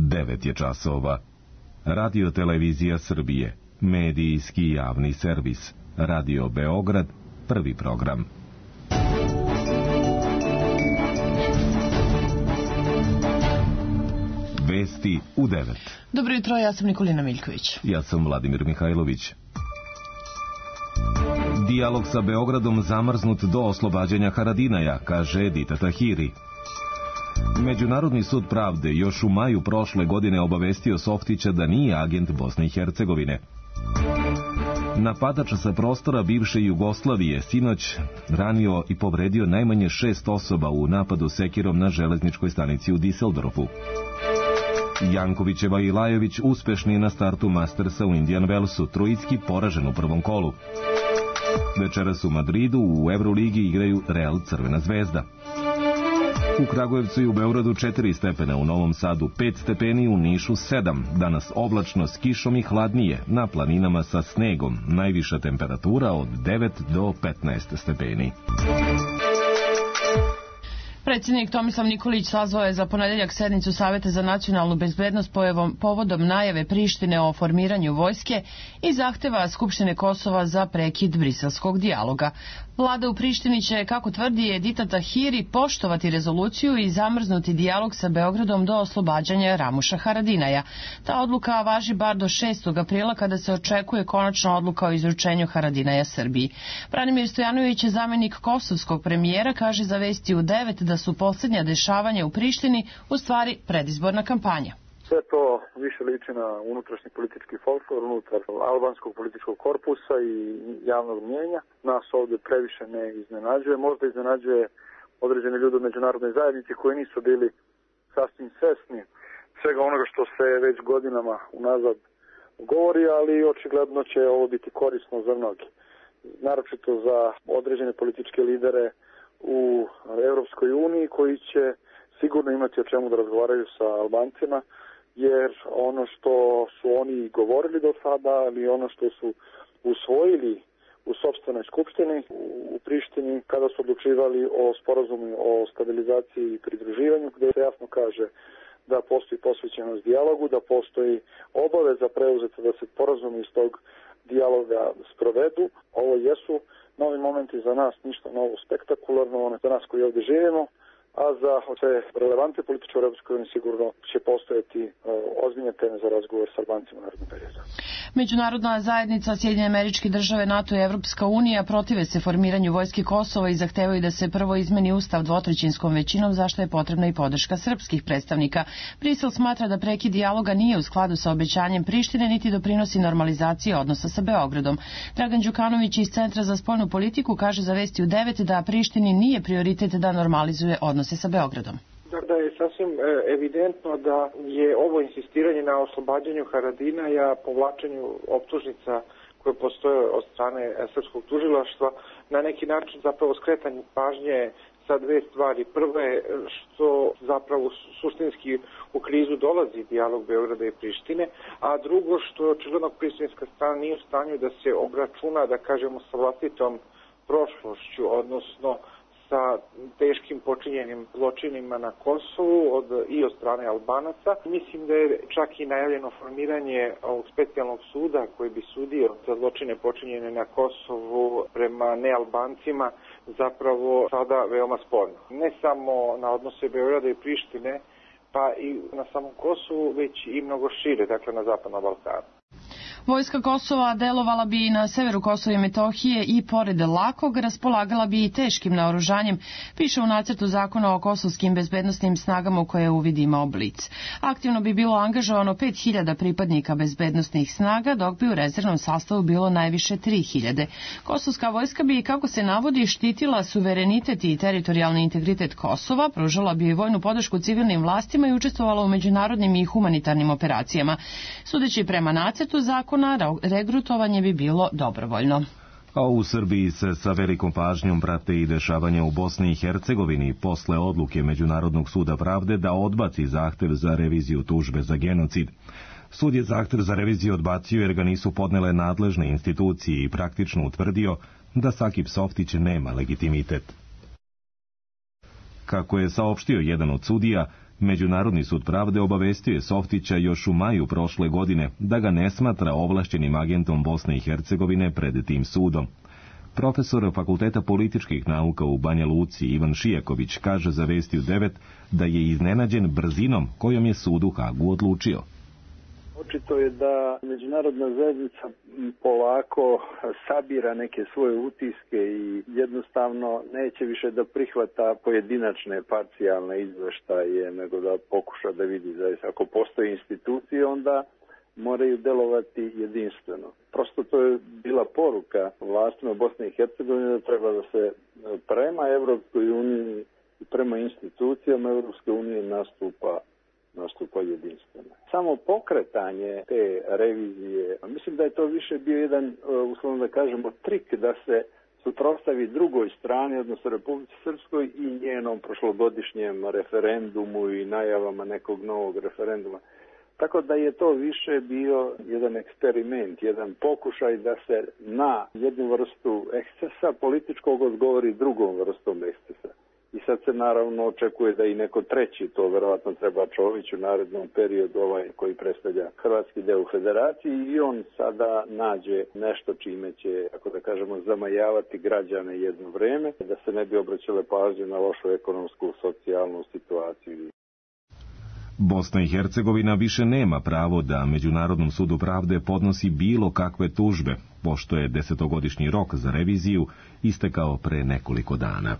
9 je časova. Radio Televizija Srbije, medijski javni servis. Radio Beograd, prvi program. Vesti u 9. Dobro jutro, ja sam Nikolina Miljković. Ja sam Vladimir Mihajlović. Dijalog sa Beogradom zamrznut do oslobađanja Haradinaja, kaže Edita Tahiri. Međunarodni sud pravde još u maju prošle godine obavestio Softića da nije agent Bosne i Hercegovine. Napadač sa prostora bivše Jugoslavije sinoć ranio i povredio najmanje 6 osoba u napadu sekirom na železničkoj stanici u Diseldorfu. Jankovićeva i Lajović uspešni na startu Mastersa u Indian Wellsu, Trojicki poražen u prvom kolu. Večeras u Madridu u Euroligi igraju Real Crvena zvezda. U Kragujevcu i u Beogradu 4 stepena, u Novom Sadu 5 stepeni, u Nišu 7. Danas oblačno s kišom i hladnije, na planinama sa snegom, najviša temperatura od 9 do 15 stepeni. Predsjednik Tomislav Nikolić sazvao je za ponedeljak sednicu Saveta za nacionalnu bezbednost povodom najave Prištine o formiranju vojske i zahteva Skupštine Kosova za prekid briselskog dijaloga. Vlada u Prištini će, kako tvrdi Edita Tahiri, poštovati rezoluciju i zamrznuti dijalog sa Beogradom do oslobađanja Ramuša Haradinaja. Ta odluka važi bar do 6. aprila kada se očekuje konačna odluka o izručenju Haradinaja Srbiji. Branimir Stojanović, zamjenik kosovskog premijera, kaže za Vesti u 9 da su posljednja dešavanja u Prištini u stvari predizborna kampanja. Sve to više liči na unutrašnji politički folklor unutar albanskog političkog korpusa i javnog mnijenja. Nas ovdje previše ne iznenađuje. Možda iznenađuje određene ljude u međunarodnoj zajednici koji nisu bili sasvim svesni svega onoga što se već godinama unazad govori, ali očigledno će ovo biti korisno za mnogi. Naročito za određene političke lidere u Europskoj uniji koji će sigurno imati o čemu da razgovaraju sa Albancima, jer ono što su oni govorili do sada, ali ono što su usvojili u sopstvenoj skupštini u Prištini kada su odlučivali o sporazumu o stabilizaciji i pridruživanju, gdje se jasno kaže da postoji posvećenost dijalogu, da postoji obaveza preuzeta da se sporazumi iz tog dijaloga sprovedu. Ovo jesu novi momenti za nas, ništa novo spektakularno, za nas koji ovdje živimo, a za sve relevantne političke u Europskoj uniji sigurno će postojati ozbiljne teme za razgovor s Albancima u narednom periodu. Međunarodna zajednica, Sjedinjene Američke Države, NATO i Evropska unija protive se formiranju vojske Kosova i zahtevaju da se prvo izmeni ustav dvotrećinskom većinom, zašto je potrebna i podrška srpskih predstavnika. Brisel smatra da prekid dijaloga nije u skladu sa obećanjem Prištine niti doprinosi normalizaciji odnosa sa Beogradom. Dragan Đukanović iz Centra za spoljnu politiku kaže za Vesti u 9 da Prištini nije prioritet da normalizuje odnose sa Beogradom. Da je sasvim evidentno da je ovo insistiranje na oslobađanju Haradinaja, povlačenju optužnica koje postoje od strane srpskog tužilaštva, na neki način zapravo skretanje pažnje sa dve stvari. Prvo je što zapravo suštinski u krizu dolazi dijalog Beograda i Prištine, a drugo što očigledno prištinska strana nije u stanju da se obračuna, da kažemo, sa vlastitom prošlošću, odnosno sa teškim počinjenim zločinima na Kosovu i od strane Albanaca. Mislim da je čak i najavljeno formiranje ovog specijalnog suda koji bi sudio za zločine počinjene na Kosovu prema nealbancima zapravo sada veoma sporno. Ne samo na odnose Beograda i Prištine, pa i na samom Kosovu, već i mnogo šire, dakle na Zapadnom Balkanu. Vojska Kosova delovala bi na severu Kosova i Metohije i pored lakog raspolagala bi i teškim naoružanjem, piše u nacrtu zakona o kosovskim bezbednostnim snagama u koje uvid imao Blic. Aktivno bi bilo angažovano 5000 pripadnika bezbednostnih snaga, dok bi u rezervnom sastavu bilo najviše 3000. Kosovska vojska bi, kako se navodi, štitila suverenitet i teritorijalni integritet Kosova, pružala bi vojnu podršku civilnim vlastima i učestvovala u međunarodnim i humanitarnim operacijama. Sudeći prema nacrtu zakona, regrutovanje bi bilo dobrovoljno. A u Srbiji se sa velikom pažnjom prate i dešavanja u Bosni i Hercegovini posle odluke Međunarodnog suda pravde da odbaci zahtev za reviziju tužbe za genocid. Sud je zahtev za reviziju odbacio jer ga nisu podnele nadležne institucije i praktično utvrdio da Sakip Softić nema legitimitet. Kako je saopštio jedan od sudija, Međunarodni sud pravde obavestio je Softića još u maju prošle godine da ga ne smatra ovlašćenim agentom Bosne i Hercegovine pred tim sudom. Profesor Fakulteta političkih nauka u Banja Luci Ivan Šijaković kaže za Vesti u 9 da je iznenađen brzinom kojom je sud u Hagu odlučio. Očito je da međunarodna zajednica polako sabira neke svoje utiske i jednostavno neće više da prihvata pojedinačne parcijalne izveštaje, nego da pokuša da vidi zaista. Ako postoje institucije, onda moraju delovati jedinstveno. Prosto to je bila poruka vlastima Bosne i Hercegovine da treba da se prema Evropskoj uniji i prema institucijama Evropske unije nastupa jedinstveno. Samo pokretanje te revizije, mislim da je to više bio jedan, uslovno da kažemo, trik da se suprotstavi drugoj strani, odnosno Republici Srpskoj i njenom prošlogodišnjem referendumu i najavama nekog novog referenduma. Tako da je to više bio jedan eksperiment, jedan pokušaj da se na jednu vrstu ekscesa političkog odgovori drugom vrstom ekscesa. I sad se naravno očekuje da i neko treći, to verovatno treba Čović u narednom periodu, koji predstavlja hrvatski deo u federaciji, i on sada nađe nešto čime će, ako da kažemo, zamajavati građane jedno vreme, da se ne bi obraćale pažnje na lošu ekonomsku, socijalnu situaciju. Bosna i Hercegovina više nema pravo da Međunarodnom sudu pravde podnosi bilo kakve tužbe, pošto je 10-godišnji rok za reviziju istekao pre nekoliko dana.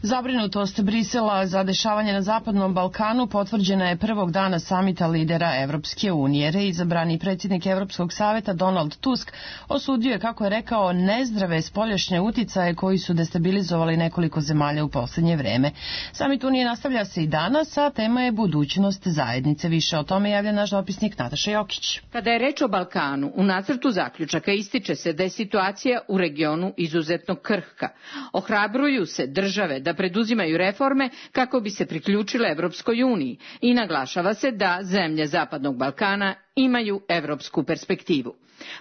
Zabrinutost Brisela za dešavanje na Zapadnom Balkanu potvrđena je prvog dana samita lidera Evropske unije. Reizabrani predsjednik Evropskog saveta Donald Tusk osudio je, kako je rekao, nezdrave spoljašnje uticaje koji su destabilizovali nekoliko zemalja u posljednje vreme. Samit Unije nastavlja se i danas, a tema je budućnost zajednice. Više o tome javlja naš dopisnik Nataša Jokić. Kada je reč o Balkanu, u nacrtu zaključaka ističe se da je situacija u regionu izuzetno krhka. Ohrabruju se države da preduzimaju reforme kako bi se priključile Evropskoj uniji i naglašava se da zemlje Zapadnog Balkana imaju evropsku perspektivu.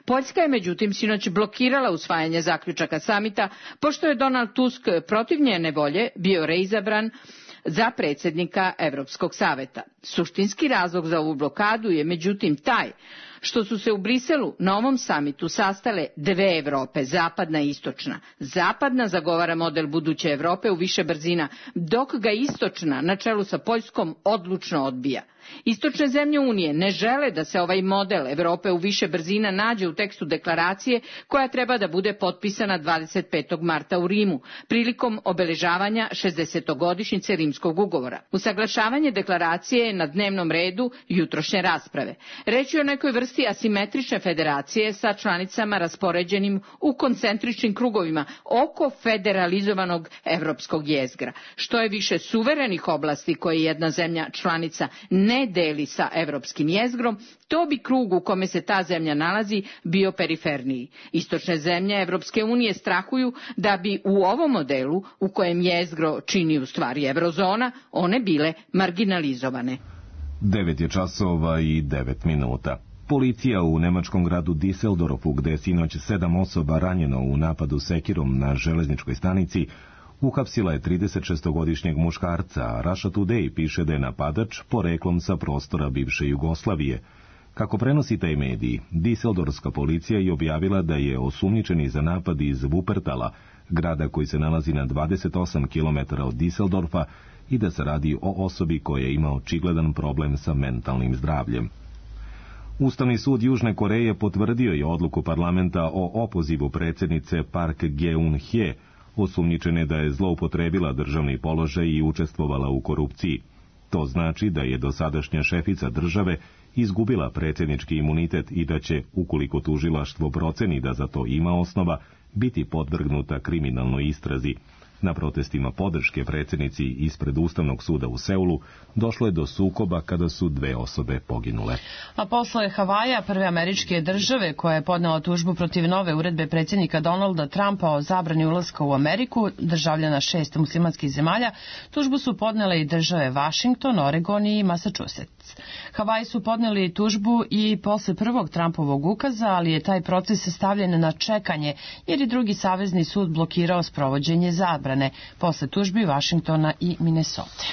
Poljska je međutim sinoć blokirala usvajanje zaključaka samita, pošto je Donald Tusk protiv njene volje bio reizabran za predsjednika Evropskog saveta. Suštinski razlog za ovu blokadu je međutim taj što su se u Briselu na ovom samitu sastale dve Evrope, zapadna i istočna. Zapadna zagovara model buduće Evrope u više brzina, dok ga istočna, na čelu sa Poljskom, odlučno odbija. Istočne zemlje Unije ne žele da se ovaj model Evrope u više brzina nađe u tekstu deklaracije koja treba da bude potpisana 25. marta u Rimu, prilikom obeležavanja 60-godišnjice Rimskog ugovora. Usaglašavanje deklaracije je na dnevnom redu jutrošnje rasprave. Reč je o nekoj vrsti asimetrične federacije sa članicama raspoređenim u koncentričnim krugovima oko federalizovanog evropskog jezgra. Što je više suverenih oblasti koje jedna zemlja članica ne deli sa evropskim jezgrom, to bi krug u kome se ta zemlja nalazi bio periferniji. Istočne zemlje Evropske unije strahuju da bi u ovom modelu, u kojem jezgro čini u stvari eurozona, one bile marginalizovane. 9 je časova i 9 minuta. Policija u nemačkom gradu Düsseldorfu, gde je sinoć 7 osoba ranjeno u napadu sekirom na železničkoj stanici, uhapsila je 36-godišnjeg muškarca. Russia Today piše da je napadač poreklom sa prostora bivše Jugoslavije. Kako prenosi taj mediji, Düsseldorfska policija je objavila da je osumnjičeni za napad iz Wuppertala, grada koji se nalazi na 28 km od Düsseldorfa, i da se radi o osobi koja ima očigledan problem sa mentalnim zdravljem. Ustavni sud Južne Koreje potvrdio je odluku parlamenta o opozivu predsjednice Park Geun-hye, osumnjičene da je zloupotrebila državni položaj i učestvovala u korupciji. To znači da je dosadašnja šefica države izgubila predsjednički imunitet i da će, ukoliko tužilaštvo proceni da za to ima osnova, biti podvrgnuta kriminalnoj istrazi. Na protestima podrške predsjednici ispred Ustavnog suda u Seulu došlo je do sukoba kada su dve osobe poginule. A posle Havaja, prve američke države koja je podnela tužbu protiv nove uredbe predsjednika Donalda Trumpa o zabrani ulaska u Ameriku, državljana 6 muslimanskih zemalja, tužbu su podnele i države Washington, Oregon i Massachusetts. Havaji su podneli tužbu i posle prvog Trumpovog ukaza, ali je taj proces stavljen na čekanje jer je drugi savezni sud blokirao sprovođenje zabrane posle tužbi Washingtona i Minnesota.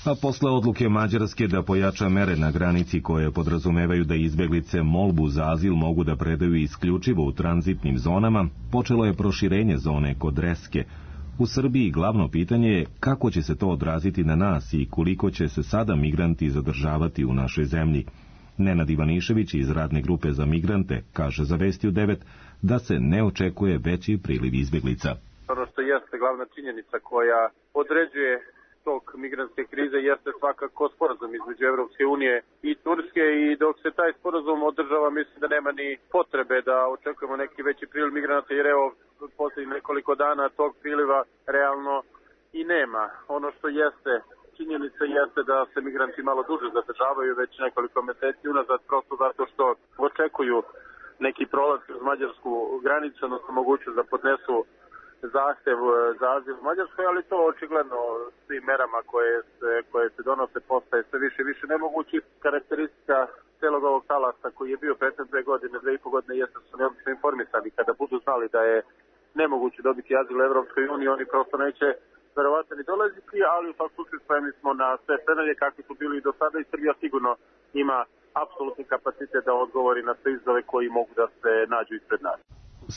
A posle odluke Mađarske da pojača mere na granici koje podrazumevaju da izbeglice molbu za azil mogu da predaju isključivo u tranzitnim zonama, počelo je proširenje zone kod Reske. U Srbiji glavno pitanje je kako će se to odraziti na nas i koliko će se sada migranti zadržavati u našoj zemlji. Nenad Ivanišević iz radne grupe za migrante kaže za Vesti u 9 da se ne očekuje veći priliv izbeglica. Ono što jeste glavna činjenica koja određuje tok migrantske krize jeste svakako sporazum između Evropske unije i Turske i dok se taj sporazum održava mislim da nema ni potrebe da očekujemo neki veći priliv migranata jer evo posljednjih nekoliko dana tog priliva realno i nema. Ono što jeste činjenica jeste da se migranti malo duže zadržavaju već nekoliko meseci unazad prosto zato što očekuju neki prolaz kroz mađarsku granicu, odnosno mogućnost da podnesu zahtev za azil u Mađarskoj, ali to očigledno svim merama koje se donose postaje sve više i više nemogući. Karakteristika celog ovog talasa koji je bio prethodne 2 godine, 2,5 godine jeste su neobično informisani. Kada budu znali da je nemoguće dobiti azil u Evropskoj uniji, oni prosto neće verovatno ni dolaziti, ali u svakom slučaju spremni smo na sve scenarije kakvi su bili i do sada i Srbija sigurno ima apsolutni kapacitet da odgovori na sve izazove koji mogu da se nađu ispred nas.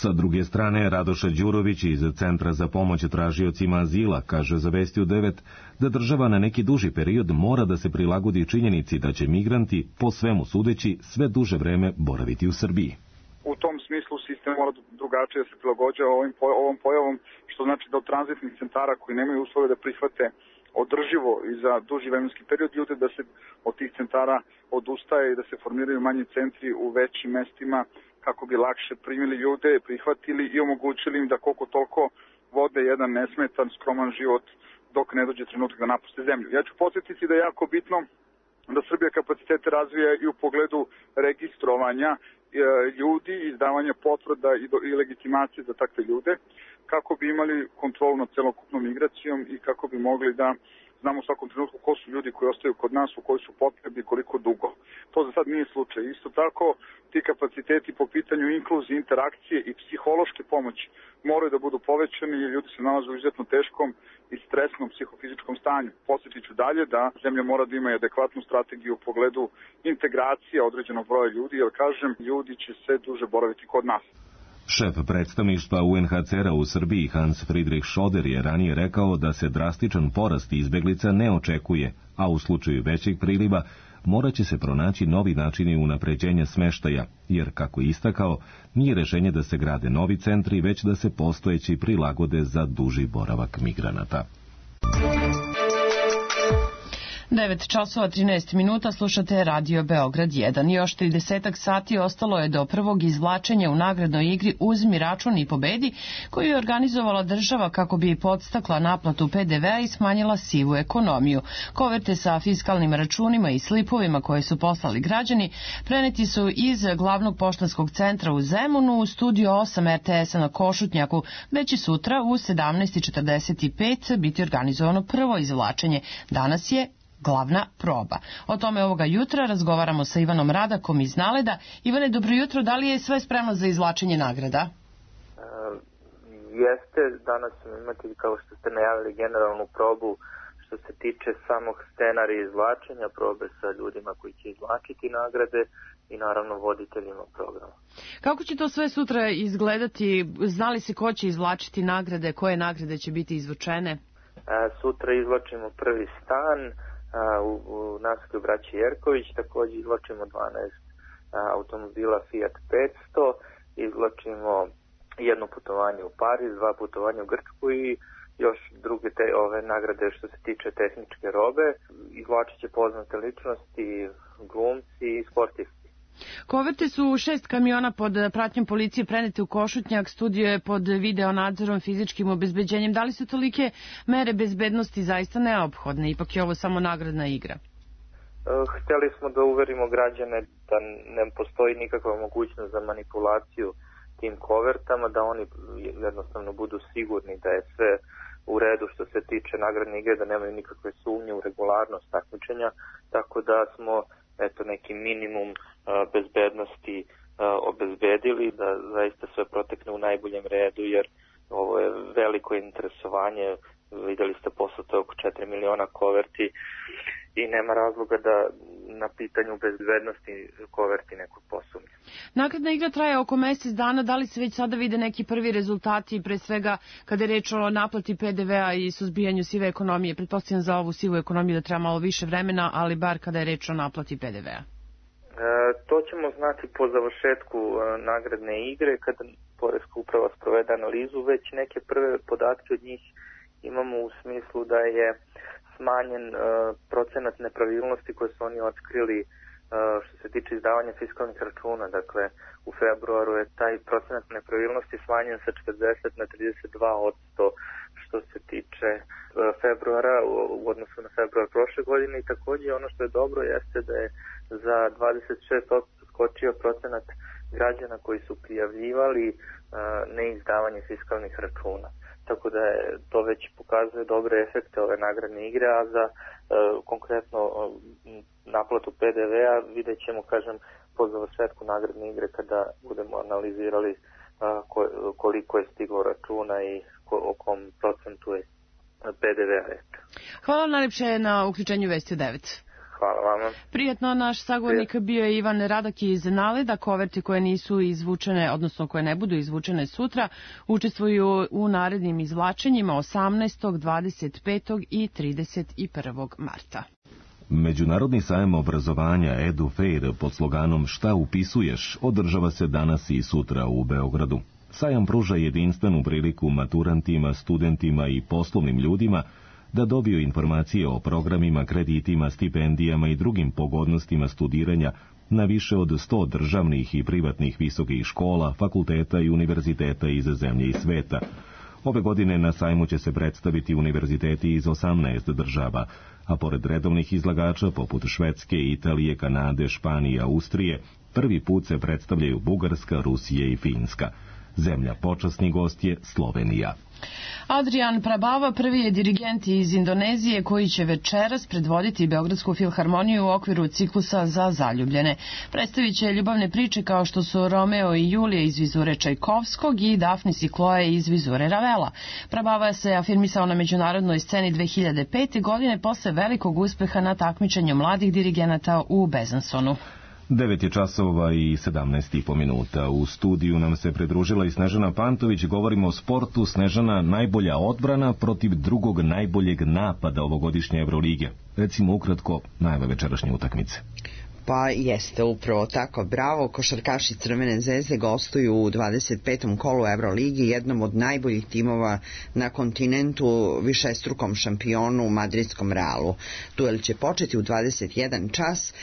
Sa druge strane, Radoša Đurović iz Centra za pomoć tražiocima azila kaže za Vesti u 9 da država na neki duži period mora da se prilagodi činjenici da će migranti, po svemu sudeći, sve duže vreme boraviti u Srbiji. U tom smislu sistem mora drugačije da se prilagođava ovom pojavom, što znači da od tranzitnih centara koji nemaju uslove da prihvate održivo i za duži vremenski period ljude da se od tih centara odustaje i da se formiraju manji centri u većim mestima kako bi lakše primili ljude, prihvatili i omogućili im da koliko toliko vode jedan nesmetan, skroman život dok ne dođe trenutak da napuste zemlju. Ja ću podsjetiti da je jako bitno da Srbija kapacitete razvija i u pogledu registrovanja ljudi, izdavanja potvrda i legitimacije za takve ljude, kako bi imali kontrolu nad celokupnom migracijom i kako bi mogli da znamo u svakom trenutku ko su ljudi koji ostaju kod nas, u koji su potrebi i koliko dugo. To za sad nije slučaj. Isto tako, ti kapaciteti po pitanju inkluzije, interakcije i psihološke pomoći moraju da budu povećani jer ljudi se nalaze u izuzetno teškom i stresnom psihofizičkom stanju. Podsjetit ću dalje da zemlja mora da ima adekvatnu strategiju u pogledu integracije određenog broja ljudi, jer kažem, ljudi će sve duže boraviti kod nas. Šef predstavništva UNHCR-a u Srbiji Hans Friedrich Schoder je ranije rekao da se drastičan porast izbeglica ne očekuje, a u slučaju većeg priliva morat će se pronaći novi načini unapređenja smeštaja, jer, kako je istakao, nije rešenje da se grade novi centri, već da se postojeći prilagode za duži boravak migranata. 9:13 slušate Radio Beograd 1. Još 30 sati ostalo je do prvog izvlačenja u nagradnoj igri Uzmi račun i pobedi, koju je organizovala država kako bi podstakla naplatu PDV-a i smanjila sivu ekonomiju. Koverte sa fiskalnim računima i slipovima koje su poslali građani preneti su iz glavnog poštanskog centra u Zemunu u studio 8 RTS-a na Košutnjaku, već i sutra u 17:45 biti organizovano prvo izvlačenje. Danas je glavna proba. O tome ovoga jutra razgovaramo sa Ivanom Radakom iz Naleda. Ivane, dobro jutro, da li je sve spremno za izvlačenje nagrada? Jeste, danas ćemo imati, kao što ste najavili, generalnu probu što se tiče samog scenarija izvlačenja, probe sa ljudima koji će izvlačiti nagrade i naravno voditeljima programa. Kako će to sve sutra izgledati? Znali se ko će izvlačiti nagrade, koje nagrade će biti izvučene? Sutra izvlačimo prvi stan u naselju braći Jerković, također izvlačimo 12 automobila Fiat 500, izvlačimo jedno putovanje u Pariz, 2 putovanja u Grčku i još druge ove nagrade što se tiče tehničke robe. Izvlačit će poznate ličnosti, glumci i sportisti. Koverte su 6 kamiona pod pratnjom policije prenete u Košutnjak, studio je pod video nadzorom, fizičkim obezbeđenjem. Da li su tolike mere bezbednosti zaista neophodne? Ipak je ovo samo nagradna igra. Hteli smo da uverimo građane da ne postoji nikakva mogućnost za manipulaciju tim kovertama, da oni jednostavno budu sigurni da je sve u redu što se tiče nagradne igre, da nemaju nikakve sumnje u regularnost takmičenja, tako da smo neki minimum bezbednosti obezbedili, da zaista sve protekne u najboljem redu, jer ovo je veliko interesovanje, videli ste poslato oko 4 miliona koverti i nema razloga da na pitanju bezbednosti Koverti nekog posumnje. Nakladna igra traje oko mesec dana, da li se već sada vide neki prvi rezultati, pre svega kada je reč o naplati PDV-a i suzbijanju sive ekonomije? Pretpostavljam za ovu sivu ekonomiju da treba malo više vremena, ali bar kada je reč o naplati PDV-a. To ćemo znati po završetku nagradne igre, kada Poreska uprava sprovede analizu. Već neke prve podatke od njih imamo u smislu da je smanjen procenat nepravilnosti koje su oni otkrili što se tiče izdavanja fiskalnih računa. Dakle, u februaru je taj procenat nepravilnosti smanjen sa 40 na 32% što se tiče februara u odnosu na februar prošle godine, i takođe ono što je dobro jeste da je za 26% skočio procenat građana koji su prijavljivali neizdavanje fiskalnih računa. Tako da to već pokazuje dobre efekte ove nagradne igre, a za konkretno naplatu PDV-a vidjet ćemo, kažem, po završetku nagradne igre kada budemo analizirali koliko je stiglo računa i o kom procentu je PDV-a reč. Hvala najlepše na uključenju Vesti 9. Hvala vama. Prijetno, naš sagovornik bio je Ivan Radak iz Naleda. Koverti koje nisu izvučene, odnosno koje ne budu izvučene sutra, učestvuju u narednim izvlačenjima 18., 25. i 31. marta. Međunarodni sajam obrazovanja EduFair pod sloganom Šta upisuješ održava se danas i sutra u Beogradu. Sajam pruža jedinstvenu priliku maturantima, studentima i poslovnim ljudima da dobiju informacije o programima, kreditima, stipendijama i drugim pogodnostima studiranja na više od 100 državnih i privatnih visokih škola, fakulteta i univerziteta iz zemlje i sveta. Ove godine na sajmu će se predstaviti univerziteti iz 18 država, a pored redovnih izlagača poput Švedske, Italije, Kanade, Španije, Austrije, prvi put se predstavljaju Bugarska, Rusija i Finska. Zemlja počasni gost je Slovenija. Adrian Prabava prvi je dirigent iz Indonezije koji će večeras predvoditi Beogradsku filharmoniju u okviru ciklusa za zaljubljene. Predstavit će ljubavne priče kao što su Romeo i Julija iz vizure Čajkovskog i Dafnis i Kloe iz vizure Ravela. Prabava se afirmisao na međunarodnoj sceni 2005. godine posle velikog uspeha na takmičenju mladih dirigenata u Bezansonu. 9 je časova i 17,5 minuta. U studiju nam se pridružila i Snežana Pantović. Govorimo o sportu. Snežana, najbolja odbrana protiv drugog najboljeg napada ovogodišnje Evrolige. Recimo ukratko najava večerašnje utakmice. Pa jeste, upravo tako. Bravo, košarkaši Crvene zvezde gostuju u 25. kolu Evroligi, jednom od najboljih timova na kontinentu, višestrukom šampionu madridskom Realu. Duel će početi u 21 čas.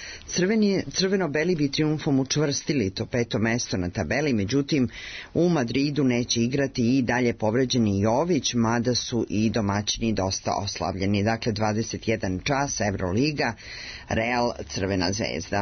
Crveno-beli bi triumfom učvrstili to 5. mesto na tabeli, međutim u Madridu neće igrati i dalje povređeni Jović, mada su i domaćini dosta oslavljeni. Dakle, 21 čas Evroliga, Real, Crvena zvezda.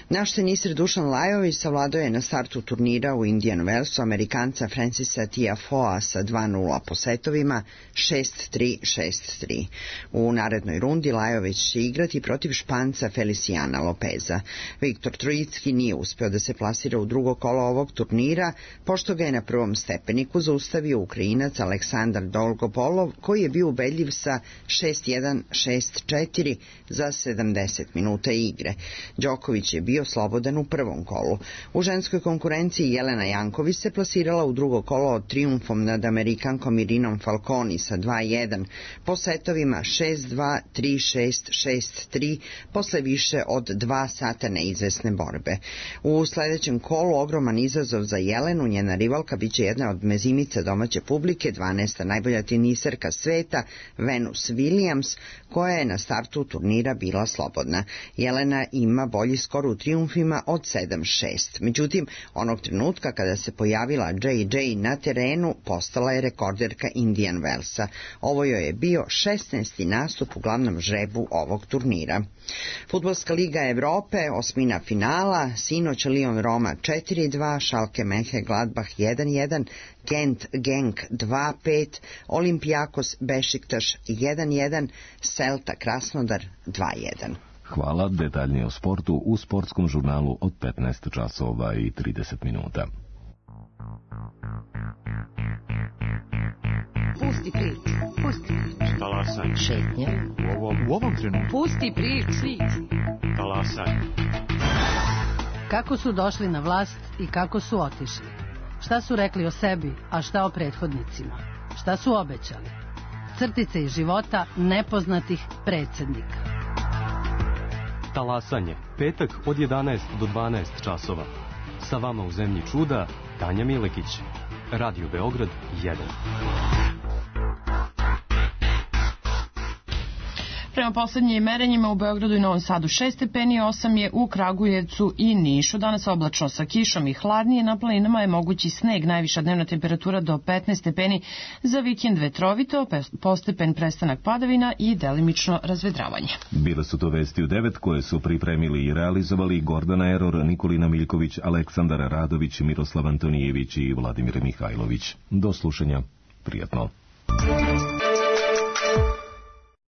Naš teniser Dušan Lajović savladao je na startu turnira u Indian Wellsu Amerikanca Francisa Tiafoea sa 2-0 po setovima, 6-3, 6-3. U narednoj rundi Lajović će igrati protiv Španca Feliciana Lopeza. Viktor Trojicki nije uspeo da se plasira u drugo kolo ovog turnira, pošto ga je na prvom stepeniku zaustavio Ukrajinac Aleksandar Dolgopolov, koji je bio ubedljiv sa 6-1, 6-4 za 70 minuta igre. Đoković je bio slobodan u prvom kolu. U ženskoj konkurenciji Jelena Janković se plasirala u drugo kolo triumfom nad Amerikankom Irinom Falconi sa 2-1 po setovima 6-2, 3-6, 6-3 posle više od 2 sata neizvesne borbe. U sledećem kolu ogroman izazov za Jelenu, njena rivalka biće jedna od mezimica domaće publike, 12. najbolja teniserka sveta Venus Williams, koja je na startu turnira bila slobodna. Jelena ima bolji skor u triumfima od 7-6. Međutim, onog trenutka kada se pojavila JJ na terenu, postala je rekorderka Indian Wellsa. Ovo joj je bio 16. nastup u glavnom žrebu ovog turnira. Fudbalska liga Evrope, osmina finala, sinoć Lyon Roma 4-2, Schalke Mönchengladbach 1-1, Gent Genk 2-5, Olympiakos Bešiktaš 1-1, Celta Krasnodar 2-1. Hvala, detaljnije o sportu u sportskom žurnalu od 15 časova i 30 minuta. Pusti priču, pusti priču. Talasaj. Šetnje. U ovom U ovom trenutku. Pusti priči. Talasaj. Kako su došli na vlast i kako su otišli? Šta su rekli o sebi, a šta o prethodnicima? Šta su obećali? Crtice iz života nepoznatih predsjednika. Talasanje, petak od 11 do 12 časova. Sa vama u zemlji čuda, Tanja Milekić. Radio Beograd 1. Prema poslednjim merenjima u Beogradu i Novom Sadu 6 stepeni, 8 je u Kragujevcu i Nišu. Danas oblačno sa kišom i hladnije, na planinama je mogući sneg, najviša dnevna temperatura do 15 stepeni, za vikend vetrovito, postepen prestanak padavina i delimično razvedravanje. Bile su to vesti u 9 koje su pripremili i realizovali Gordana Eror, Nikolina Miljković, Aleksandar Radović, Miroslav Antonijević i Vladimir Mihajlović. Do slušanja. Prijatno.